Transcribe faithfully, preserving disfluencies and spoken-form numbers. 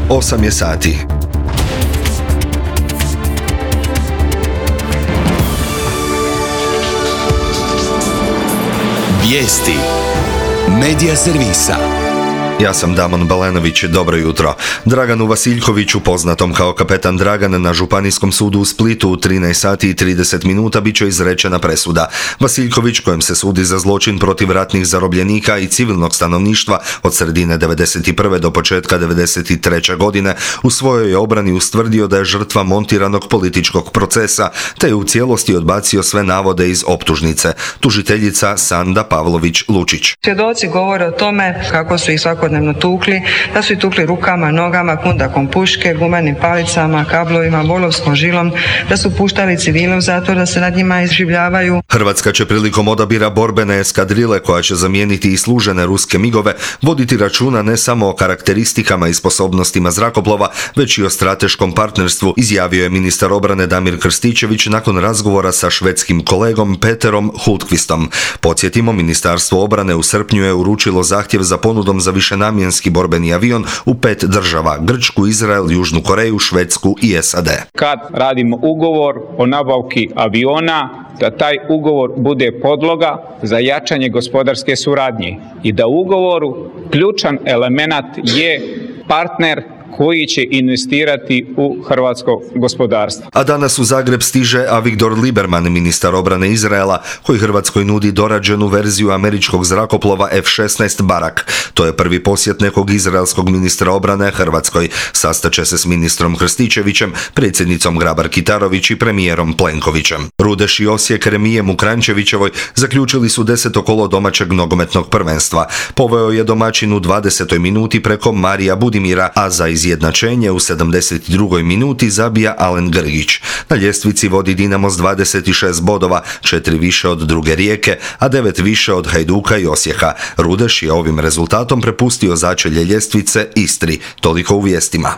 osam je sati. Vijesti Medija servisa. Ja sam Damon Balenović, dobro jutro. Draganu Vasiljkoviću, poznatom kao kapetan Dragan, na Županijskom sudu u Splitu u trinaest sati i trideset minuta bit će izrečena presuda. Vasiljković, kojem se sudi za zločin protiv ratnih zarobljenika i civilnog stanovništva od sredine devedeset prve do početka devedeset treće godine, u svojoj je obrani ustvrdio da je žrtva montiranog političkog procesa, te je u cijelosti odbacio sve navode iz optužnice. Tužiteljica Sanda Pavlović-Lučić. Svjedoci govore o tome kako su ih svakodnevno tukli, da su ih tukli rukama, nogama, kundakom puške, gumenim palicama, kablovima, volovskom žilom, da su puštali civile u zatvor, da se nad njima izživljavaju. Hrvatska će prilikom odabira borbene eskadrile koja će zamijeniti i služene ruske migove voditi računa ne samo o karakteristikama i sposobnostima zrakoplova, već i o strateškom partnerstvu, izjavio je ministar obrane Damir Krstičević nakon razgovora sa švedskim kolegom Peterom Hultqvistom. Podsjetimo, Ministarstvo obrane u srpnju je uručilo zahtjev za ponudom za višenamjenski borbeni avion u pet država: Grčku, Izrael, Južnu Koreju, Švedsku i S A D. Kad radimo ugovor o nabavki aviona, da taj ugovor bude podloga za jačanje gospodarske suradnje i da u ugovoru ključan element je partner koji će investirati u hrvatsko gospodarstvo. A danas u Zagreb stiže Avigdor Lieberman, ministar obrane Izraela, koji Hrvatskoj nudi dorađenu verziju američkog zrakoplova F šesnaest Barak. To je prvi posjet nekog izraelskog ministra obrane Hrvatskoj. Sastaće se s ministrom Krstičevićem, predsjednicom Grabar-Kitarović i premijerom Plenkovićem. Rudeš i Osijek remijem u Kranjčevićevoj zaključili su deseto kolo domaćeg nogometnog prvenstva. Poveo je domaćin u dvadesetoj minuti preko Marija Budimira, a za izjednačenje u sedamdeset drugoj minuti zabija Alen Grgić. Na ljestvici vodi Dinamo s dvadeset šest bodova, četiri više od druge Rijeke, a devet više od Hajduka i Osijeka. Rudeš je ovim rezultatom prepustio začelje ljestvice Istri. Toliko u vijestima.